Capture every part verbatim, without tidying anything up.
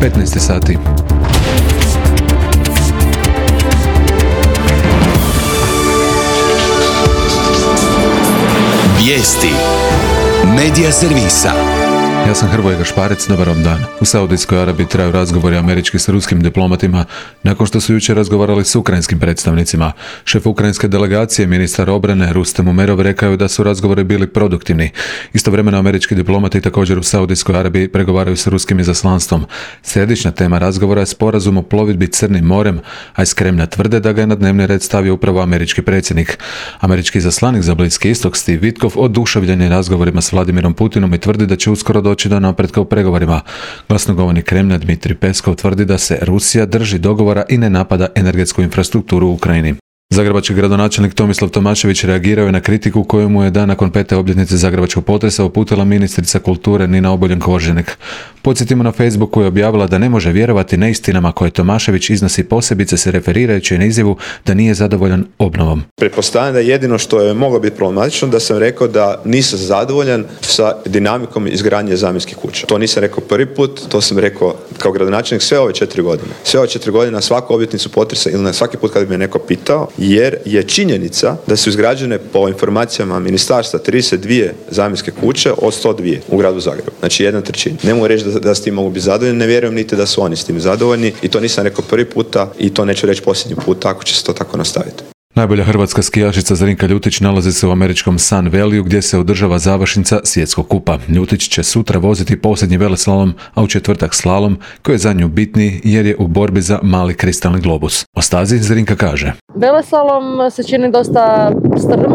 petnaest sati. Vijesti Medija servisa. Ja sam Hrvoje Gašparec, dobar vam dan. U Saudijskoj Arabiji traju razgovori američki s ruskim diplomatima nakon što su jučer razgovarali s ukrajinskim predstavnicima. Šef ukrajinske delegacije, ministar obrane Rustem Umerov, rekao je da su razgovori bili produktivni. Istovremeno američki diplomati također u Saudijskoj Arabiji pregovaraju s ruskim izaslanstvom. Središnja tema razgovora je sporazum o plovidbi Crnim morem, a iz Kremlja tvrde da ga je na dnevni red stavio upravo američki predsjednik. Američki izaslanik za Bliski istok Steve Witkoff oduševljen je razgovorima s Vladimirom Putinom i tvrdi da će uskoro doći do napretka u pregovorima. Glasnogovornik Kremlja Dmitrij Peskov tvrdi da se Rusija drži dogovora i ne napada energetsku infrastrukturu u Ukrajini. Zagrebački gradonačelnik Tomislav Tomašević reagirao je na kritiku koju mu je dan nakon pete obljetnice zagrebačkog potresa uputila ministrica kulture Nina Obuljen-Koržinek. Podsjetimo, na Facebooku je objavila da ne može vjerovati neistinama koje Tomašević iznosi, posebice se referirajući na izjavu da nije zadovoljan obnovom. Pretpostavljam da jedino što je moglo biti problematično da sam rekao da nisam zadovoljan sa dinamikom izgradnje zamjenskih kuća. To nisam rekao prvi put, to sam rekao kao gradonačelnik sve ove četiri godine. Sve ove četiri godine na svaku obljetnicu potresa ili na svaki put kad bi me neko pitao, jer je činjenica da su izgrađene po informacijama ministarstva trideset dvije zamjenske kuće od sto dvije u gradu Zagrebu. Znači jedna trećina. Ne mogu reći da, da s tim mogu biti zadovoljni, ne vjerujem niti da su oni s tim zadovoljni i to nisam rekao prvi puta i to neću reći posljednji put, ako će se to tako nastaviti. Najbolja hrvatska skijašica Zrinka Ljutić nalazi se u američkom Sun Valleyu gdje se održava završnica svjetskog kupa. Ljutić će sutra voziti posljednji veleslalom, a u četvrtak slalom, koji je za nju bitniji jer je u borbi za mali kristalni globus. O stazi Zrinka kaže: Veleslalom se čini dosta strm,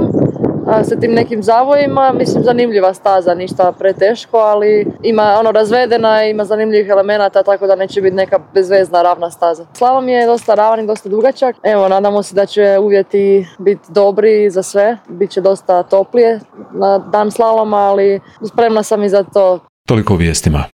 sa tim nekim zavojima, mislim zanimljiva staza, ništa preteško, ali ima ono razvedena, ima zanimljivih elemenata, tako da neće biti neka bezvezna ravna staza. Slalom je dosta ravan i dosta dugačak. Evo, nadamo se da će uvjeti biti dobri za sve, bit će dosta toplije na dan slaloma, ali spremna sam i za to. Toliko o vijestima.